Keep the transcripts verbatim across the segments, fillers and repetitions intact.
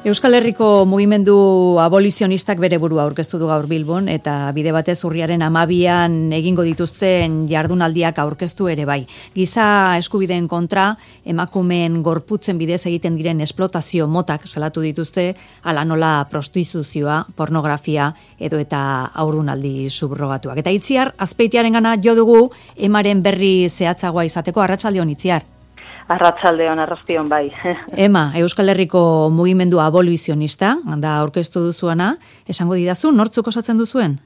Euskal Herriko mugimendu abolizionistak bere burua aurkeztu du gaur Bilbon eta bide batez urriaren hamabian egingo dituzten jardunaldiak aurkeztu ere bai. Giza eskubideen kontra emakumeen gorputzen bidez egiten diren esplotazio motak salatu dituzte, hala nola prostituzioa, pornografia edo eta haurdunaldi subrogatuak. Eta Itziar Azpeitiarengana jo dugu Emaren berri zehatzagoa izateko. Arratsaldeon Itziar. Arratsaldeon, arrastion bai. Ema, Euskal Herriko mugimendu abolizionista, da aurkeztu duzuana, esango didazu, nortzuk osatzen duzuen?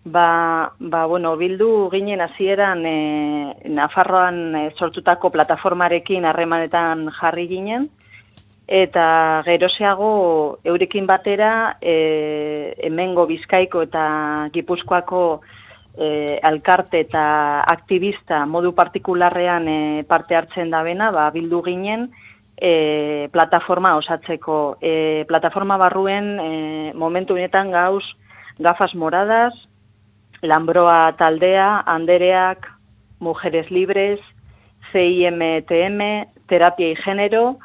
Ba, ba bueno, bildu ginen hasieran e, Nafarroan e, sortutako plataformarekin harremanetan jarri ginen, eta geroseago eurekin batera e, hemengo Bizkaiko eta Gipuzkoako E, alkarte eta aktivista modu partikularrean e, parte hartzen dabena, ba, bildu ginen e, plataforma osatzeko. E, plataforma barruen e, momentu honetan gauz Gafas Moradas, Lambroa Taldea, Andereak, Mujeres Libres, C I M T M, Terapia y Género,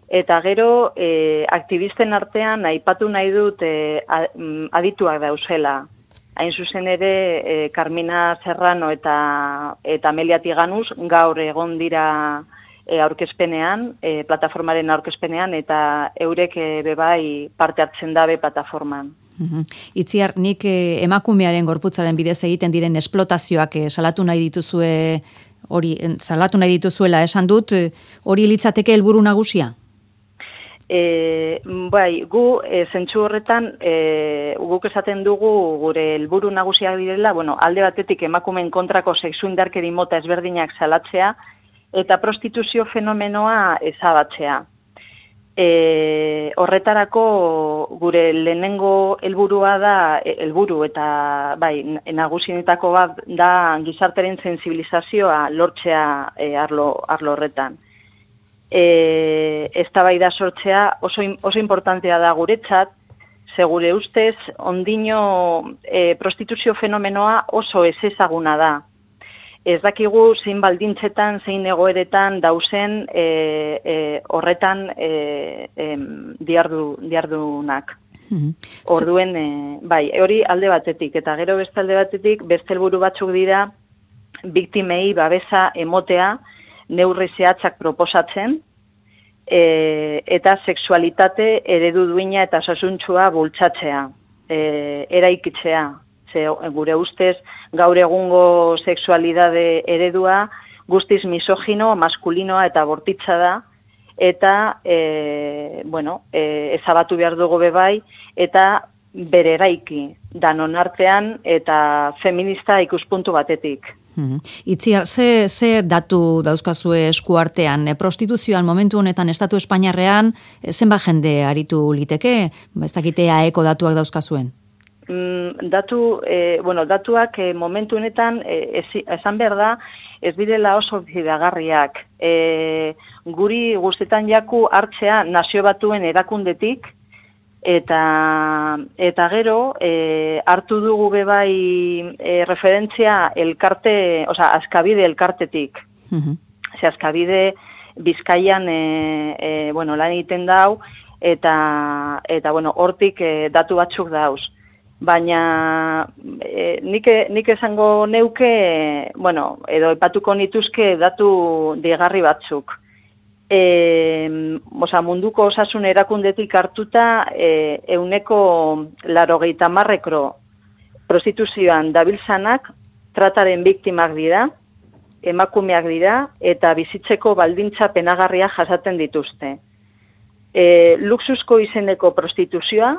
eta gero e, aktivisten artean aipatu nahi dut e, adituak dauzela. Hain zuzen ere, e, Carmina Serrano eta, eta Amelia Tiganus gaur egon dira e, aurkezpenean, e, plataformaren aurkezpenean, eta eurek e, bebai parte hartzen dabe plataforman. Uhum. Itziar, nik e, emakumearen gorputzaren bidez egiten diren esplotazioak e, salatu nahi dituzue, hori, salatu nahi dituzuela esan dut, e, hori litzateke helburu nagusia? E, bai, gu e, zentsu horretan e, guk esaten dugu gure helburu nagusiak direla, bueno, alde batetik emakumeen kontrako sexu indarkeri mota ezberdinak salatzea eta prostituzio fenomenoa ezabatzea. E, horretarako gure lehenengo helburua da helburu eta bai, nagusienetako bat da gizarteren sensibilizazioa lortzea e, arlo, arlo horretan. E, eztabaida sortzea oso, oso importantea da guretzat, segure ustez, ondino e, prostituzio fenomenoa oso ez ezaguna da. Ez dakigu zein baldintzetan, zein egoeretan dauzen e, e, horretan e, e, diardu, diardunak. Mm-hmm. Orduen, e, bai, hori alde batetik, eta gero beste alde batetik, beste helburu batzuk dira, biktimei babesa emotea, neurri zehatzak proposatzen, e, eta sexualitate eredu duina eta osasuntsua bultzatzea, e, eraikitzea. Ze, gure ustez, gaur egungo sexualidade eredua guztiz misogino, maskulinoa eta bortitza da, eta e, bueno, e, ezabatu behar dugu bebai, eta bere eraiki, danon artean eta feminista ikuspuntu batetik. Hmm. Itziar, ze, ze datu dauzkazue eskuartean? E, prostituzioan momentu honetan Estatu Espainiarrean e, zenba jende aritu liteke? Ez dakite aeko datuak dauzkazuen? Mm, datu, e, bueno, datuak e, momentu honetan e, ez, esan behar da ez direla oso bidagarriak. E, guri guztetan jaku hartzea Nazio Batuen erakundetik, Eta, eta gero, e, hartu dugu bebai e, referentzia elkarte, oza, Azkabide elkartetik. Uh-huh. Ze Azkabide Bizkaian e, e, bueno, lan egiten dau, eta, eta bueno, hortik e, datu batzuk dauz. Baina e, nik, nik esango neuke, bueno, edo epatuko nituzke datu digarri batzuk. E, oza, munduko osasun erakundetik hartuta e, euneko larogeita marrekro prostituzioan dabiltzanak trataren biktimak dira, emakumeak dira eta bizitzeko baldintza penagarria jasaten dituzte. E, luxusko izeneko prostituzioa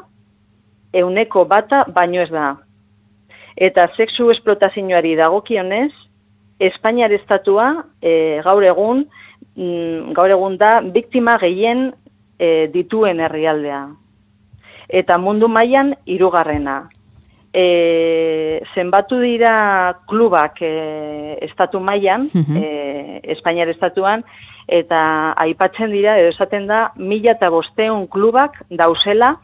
euneko bata baino ez da. Eta sexu esplotazioari dagokionez, Espainiar estatua e, gaur egun gaur egun da biktima gehien e, dituen herrialdea. Eta mundu mailan hirugarrena. E, zenbatu dira klubak e, estatu mailan, uh-huh. e, Espainiar estatuan, eta aipatzen dira, edo esaten da, mila eta bosteun klubak dauzela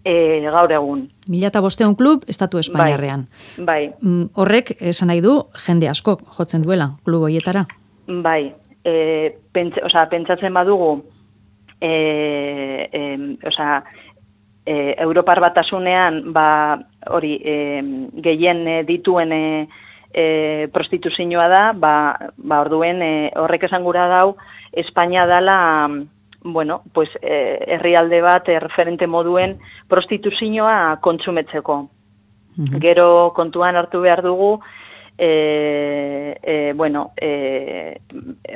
e, gaur egun. Mila eta bosteun klub Estatu Espainiarrean. Bai. bai. Horrek, esan nahi du, jende asko jotzen duela klub horietara. Bai. E, pentsa, oza, pentsatzen badugu e, e, osea, e, Europar Batasunean ba, hori e, gehien dituen e, e, prostituzioa da, ba, ba orduen e, horrek esan gura dau, Espainia dala, bueno, pues, e, herrialde bat e, referente moduen prostituzioa kontsumetzeko. Mm-hmm. Gero kontuan hartu behar dugu, E, e, bueno, e,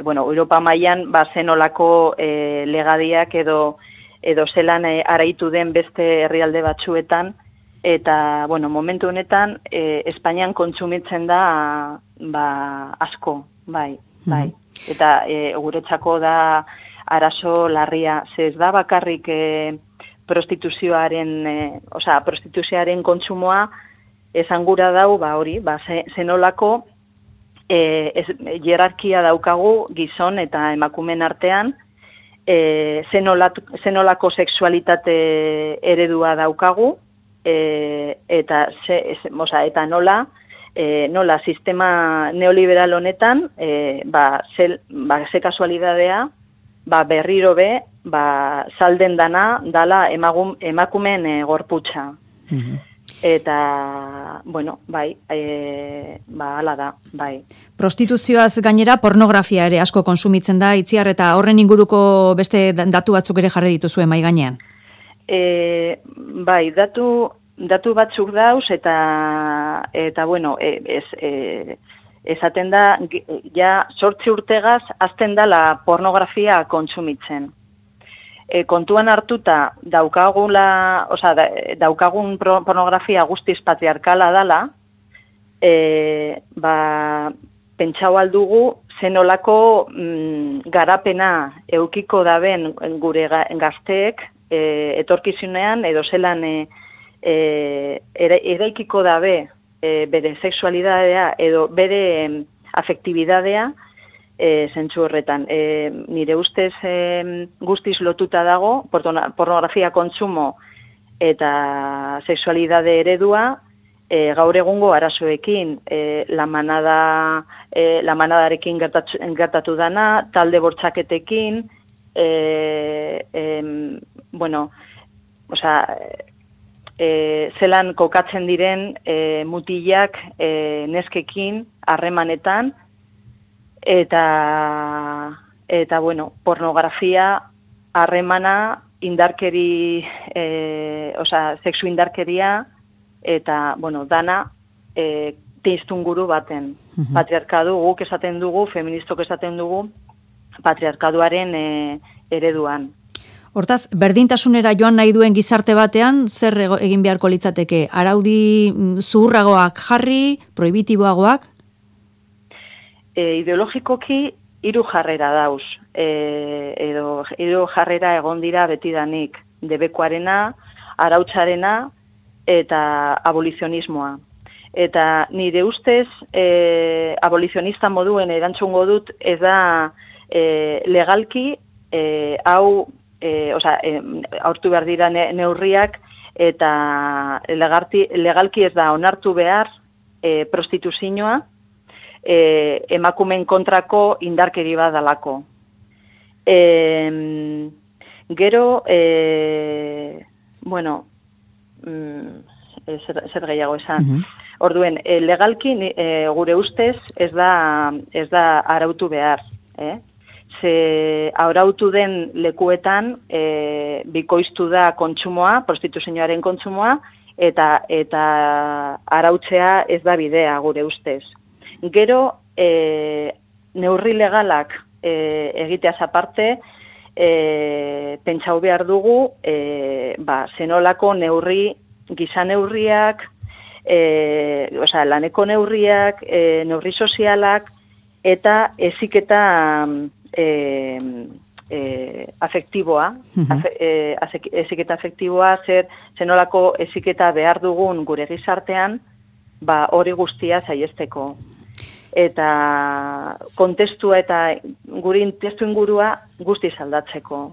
bueno, Europa mailan ba zenolako e, legadiak edo edo zelan e, araitu den beste herrialde batzuetan, eta bueno, momentu honetan e, Espainian kontsumitzen da ba asko, bai, bai. Mm-hmm. Eta e, guretzako da arazo larria, ze ez da bakarrik e, prostituzioaren, e, osea, prostituzioaren kontsumoa esan gura dau, ba hori, ba zenolako e, ez, jerarkia daukagu gizon eta emakumeen artean, e, zenolako, zenolako sexualitate eredua daukagu, e, eta, ze, ez, oza, eta nola, e, nola sistema neoliberal honetan, e, ba, zel, ba, ze kasualidadea, ba, berriro be, ba, salden dana, dala emagun, emakumeen e, gorputza. Mm-hmm. Eta, bueno, bai, e, ba, ala da, bai. Prostituzioaz gainera pornografia ere asko konsumitzen da, Itziar, eta horren inguruko beste datu batzuk ere jarri dituzue mai gainean? E, bai, datu, datu batzuk dauz, eta, eta bueno, e, ez, e, esaten da, ja, sortzi urtegaz, azten da la pornografia kontsumitzen. E, kontuan hartuta daukagula, osea, da, daukagun pornografia guztiz patriarkala dala, e, ba, pentsau aldugu zenolako mm, garapena eukiko daben gure gazteek e, etorkizunean edo zelan e, e, eraikiko dabe e, bere sexualidadea edo bere e, afektibidadea, E, zentzu horretan. E, nire ustez e, guztiz lotuta dago pornografia kontsumo eta sexualidade eredua e, gaur egungo arazoekin, e, la manada e, la manadarekin gertatu, gertatu dana, talde bortxaketekin, e, e, bueno, osea, e, zelan kokatzen diren e, mutilak e, neskekin harremanetan, Eta, eta bueno, pornografia, harremana, indarkeri, e, osea, sexu indarkeria, eta, bueno, dana, e, teiztunguru baten. Uh-huh. Patriarkadu, guk esaten dugu, feministok esaten dugu, patriarkaduaren e, ereduan. Hortaz, berdintasunera joan nahi duen gizarte batean, zer egin beharko litzateke? Araudi zuhurragoak jarri, prohibitiboagoak? E, ideologikoki hiru jarrera dauz, e, edo hiru jarrera egon dira betidanik, debekoarena, arautzarena eta abolizionismoa. Eta nire ustez, e, abolizionista moduen erantzungo dut, ez da e, legalki, e, hau, e, oza, e, aurtu behar dira ne, neurriak, eta legarti, legalki ez da onartu behar e, prostituzioa, E, emakumen kontrako indarkeri bat dalako. E, gero, e, bueno, mm, zer, zer gehiago esan. Uh-huh. Orduen, e, legalki e, gure ustez ez da, ez da arautu behar. Eh? Ze arautu den lekuetan e, bikoiztu da kontsumoa, prostituzioaren kontsumoa, eta, eta arautzea ez da bidea gure ustez. Gero, e, neurri legalak e, egiteaz aparte, e, pentsau behar dugu, e, ba, zenolako neurri, giza neurriak, e, osea, laneko neurriak, e, neurri sozialak, eta heziketa e, e, afektiboa, uh-huh. afe, e, heziketa afektiboa, zer zenolako heziketa behar dugun gure gizartean, ba, hori guztia saiesteko. Eta kontestua eta guri testu ingurua guztiz aldatzeko.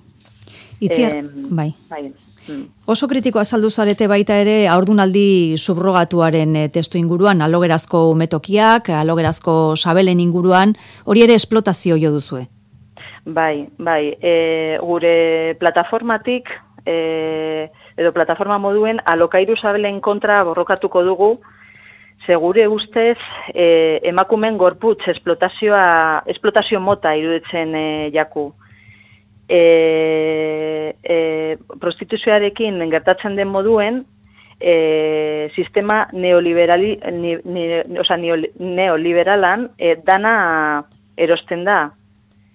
Itziar, eh, bai. bai. Mm. Oso kritiko azaldu zarete baita ere haurdunaldi subrogatuaren e, testu inguruan, alogerazko umetokiak, alogerazko sabelen inguruan, hori ere esplotazio jo duzue. Bai, bai, e, gure plataformatik, e, edo plataforma moduen, alokairu sabelen kontra borrokatuko dugu, ze gure ustez e, emakumen gorputz esplotazioa, esplotazio mota iruditzen e, jaku. E, e, prostituzioarekin gertatzen den moduen, e, sistema neoliberali, ni, ni, oza, neoliberalan e, dana erosten da.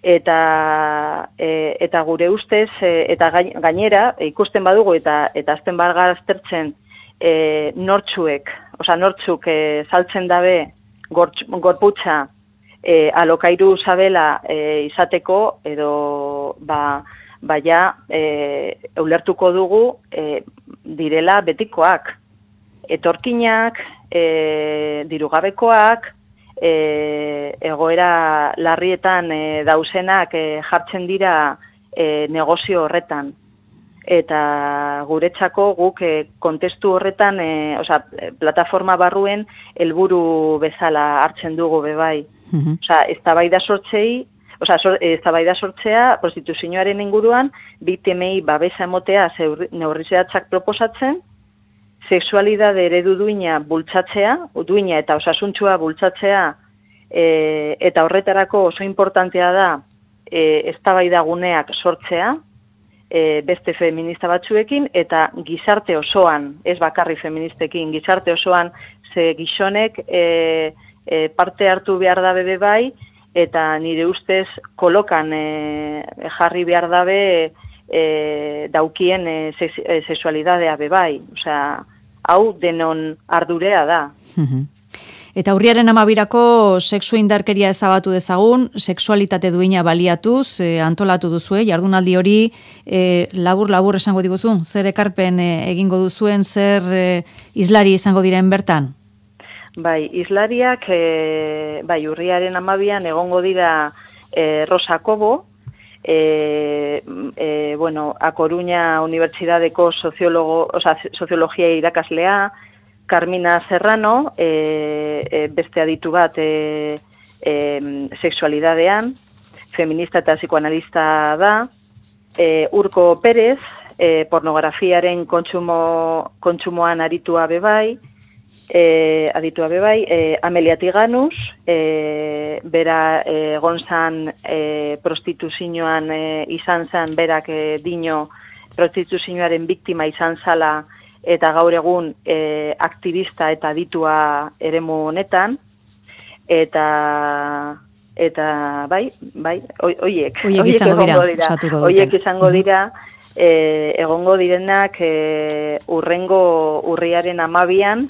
Eta, e, eta gure ustez, e, eta gainera, e, ikusten badugu eta eta azten bargar aztertzen e, nortzuek, oza, nortzuk e, saltzen dabe gortz, gorputza e, alokairu sabela e, izateko, edo ba, baia e, ulertuko dugu e, direla betikoak, etorkinak, e, dirugabekoak, E, egoera larrietan e, dauzenak e, jartzen dira e, negozio horretan. Eta guretzako guk e, kontestu horretan, e, oza, plataforma barruen helburu bezala hartzen dugu bebai. Mm-hmm. Oza, eztabaida sortzei, oza, sor, eztabaida sortzea prostituzioaren inguruan, biktimei babesa emotea neurri zehatzak proposatzen, sexualidade eredu duina bultzatzea, duina eta osasuntsua bultzatzea, e, eta horretarako oso importantea da e, eztabaida guneak sortzea, e, beste feminista batzuekin, eta gizarte osoan, ez bakarri feministekin, gizarte osoan, ze gizonek e, e, parte hartu behar dabe bai, eta nire ustez kolokan e, jarri behar dabe e, daukien e, sexualidadea bebai, osea, hau denon ardurea da. Eta urriaren amabirako sexu indarkeria ezabatu dezagun, sexualitate duina baliatuz, e, antolatu duzue, jardunaldi hori e, labur-labur esango diguzu, zer ekarpen e, egingo duzuen, zer e, islari izango diren bertan? Bai, islariak, e, bai, urriaren amabian egongo dira e, Rosa Cobo, E, e, bueno, A Coruña Unibertsitateko soziologo, o sea, soziologia irakaslea, Carmina Serrano, e, e, beste aditu bat e, e, sexualidadean, feminista eta psikoanalista da, e, Urko Pérez, e, pornografiaren kontsumo, kontsumoan aritua bebai, E, aditua bebai, e, Amelia Tiganus, e, bera egon e, zan e, prostituzioan e, izan zen, berak e, dino prostituzioaren biktima izan zala, eta gaur egun e, aktivista eta aditua eremu honetan, eta eta bai, bai, oiek, oiek izango dira, oiek izango dira, e, egongo direnak e, urrengo urriaren amabian,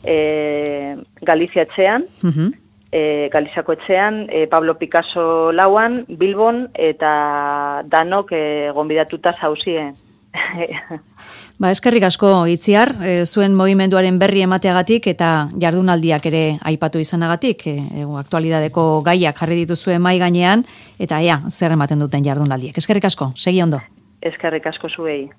E, Galizia etxean, uh-huh. e, Galiziako etxean, e, Pablo Picasso lauan, Bilbon, eta danok e, gonbidatuta zauzien. Ba, eskerrik asko Itziar, e, zuen mugimenduaren berri emateagatik eta jardunaldiak ere aipatu izanagatik, e, aktualidadeko gaiak jarri dituzue mai gainean, eta ea, zer ematen duten jardunaldiek. Eskerrik asko, segi ondo. Eskerrik asko zuei.